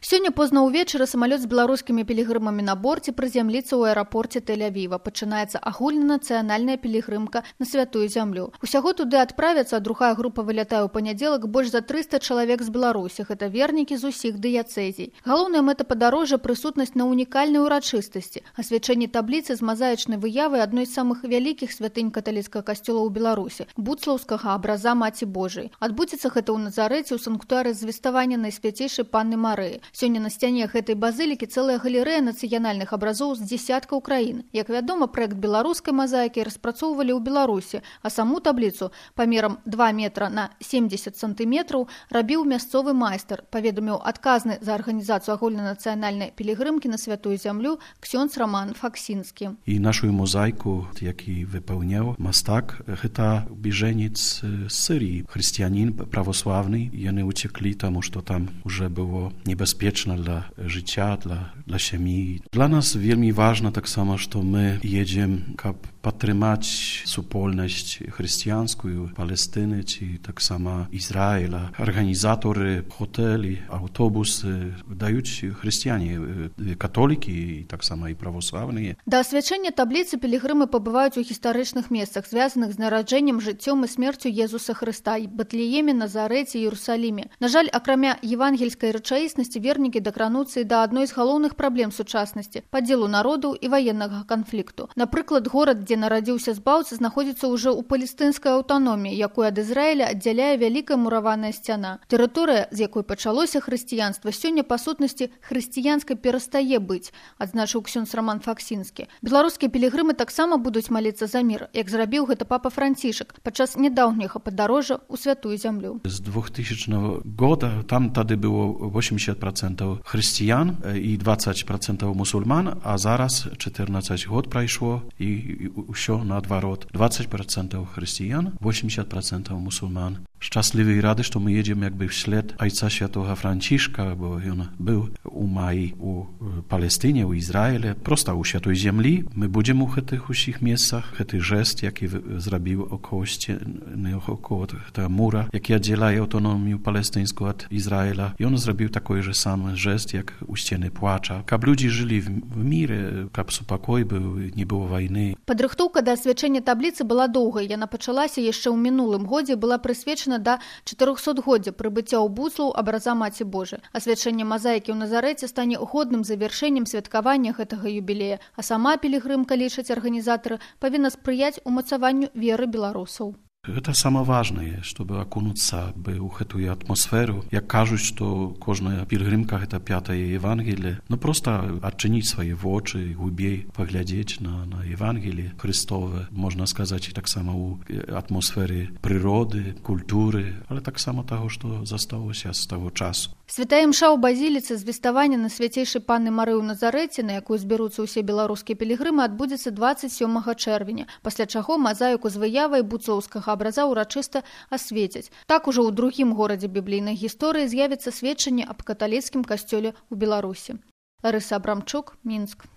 Сёння позна ўвечары самалёт з беларускімі пілігрымамі на борце прызямліцца ў аэрапорце Тель-Авіва. Пачынаецца агульнанацыянальная пілігрымка на святую зямлю. Усяго туды адправяцца, а другая група вылятае ў панядзелак больш за 300 чалавек з Беларусі. Гэта вернікі з усіх дыяцэзій. Галоўная мэта падарожжа – прысутнасць на унікальнай урачыстасці. Асвячэнне табліцы з мазаічнай выявай адной з самых вялікіх святынь каталіцкага касцёла ў Беларусі – буцлаўскага абраза Маці Божай. Адбудзецца гэта ў Назарэце ў санктуары звеставання Найсвяцейшай Панны Марыі. Сёння на сцяне гэтай базылікі цэлая галерэя нацыянальных абразоў з дзесяткаў краін. Як вядома, праект беларускай мазаікі распрацоўвалі ў Беларусі, а саму табліцу памерам 2 метра на 70 сантыметраў рабіў мясцовы майстар, паведаміў адказны за арганізацыю агульнанацыянальнай пілігрымкі на святую зямлю ксёндз Роман Факсінскі. І нашу мозаіку, які выпаўняў мастак, гэта біжэнец з Сыріі, хрысціянін православны. Яны уцеклі, таму што там уже было небяспечна для жыцця, для сям'і. Для нас вельмі важна таксама, што мы едзем, каб падтрымаць супольнасць хрысціянскую Палестыны ці таксама Ізраіля. Арганізаторы, хотэлі, аўтобусы даюць хрысціяне, католікі і таксама і православныя. Да асвячэння табліцы пілігрымы пабываюць у гістарычных месцах, звязаных з нараджэннем, жыццём і смерцю Езуса Хрыста – Бэтлееме, Назарэце, Іерусаліме. На жаль, акрамя евангельскай рэчаіснасці, вернікі дакрануцца і да адной з галоўных праблем сучаснасці – падзелу народаў і ваеннага канфлікту. Напрыклад, горад, дзе нарадзіўся збаўца, знаходзіцца ўжо ў палестынскай аўтаноміі, якую ад Ізраіля аддзяляе вялікая мураваная сцяна. Тэрыторыя, з якой пачалося хрысціянства, сёння па сутнасці хрысціянскай перастае быць, адзначыў ксёндз Роман Факсінскі. Беларускія пілігрымы таксама будуць маліцца за мір, як зрабіў гэта папа Францішак падчас нядаўняга падарожжа ў святую зямлю. З 2000 года там тады было 80% хрысціян і 20% мусульман, а зараз 14 год прайшло і ўсё наадварот. 20% хрысціян, 80% мусульман. Шчаслівы і рады, што мы едзем якby вслед айца святога Францішка, бо ён быў у маі у Палестыне, у Ізраіле, проста ў святой зямлі. Мы будзем у гэтых усіх месцах. Гэты жэст, які зрабіў около сцены, около гэтага мура, які аддзяляе аўтаномію палестынскую ад Ізраіля. Ён зрабіў такой же самы жэст, як у сцены плача. Каб людзі жылі в міры, каб супакой быў, не было вайны. Падрыхтоўка да асвячэння табліцы была доўгай. Яна пачалася яшчэ ў мінулым годзе, была прысвечана да 400-годдзя прыбыцця ў Буцлаў абраза Маці Божай. Асвячэнне мазаікі ў Назарэце стане годным завяршэннем святкавання гэтага юбілея, а сама пілігрымка, лічаць арганізатары, павінна спрыяць умацаванню веры беларусаў. Гэта самае важнае, чтобы акунуцца ў гэтую атмасферу. Як кажуць, што кожная пілігрымка – гэта 5-е Евангелие. Ну, проста адчыніць свае вочы, глыбей паглядзець на Евангелие Христове. Можна сказаць, і таксама ў атмосферы прыроды, культуры, але таксама таго, што засталося з таго часу. Святая імша ў базіліцы звеставання Найсвяцейшай Панны Марыі ў Назарэце, на якую збяруцца ўсе беларускія пілігрымы, адбудзецца 27 чэрвеня, пасля чаго мазаіку з выявай буцлаўскага абраза урачыста асвецяць. Так ужо ў другім горадзе біблійнай гісторыі з'явіцца сведчанне аб каталіцкім касцёле ў Беларусі. Ларыса Абрамчук, Мінск.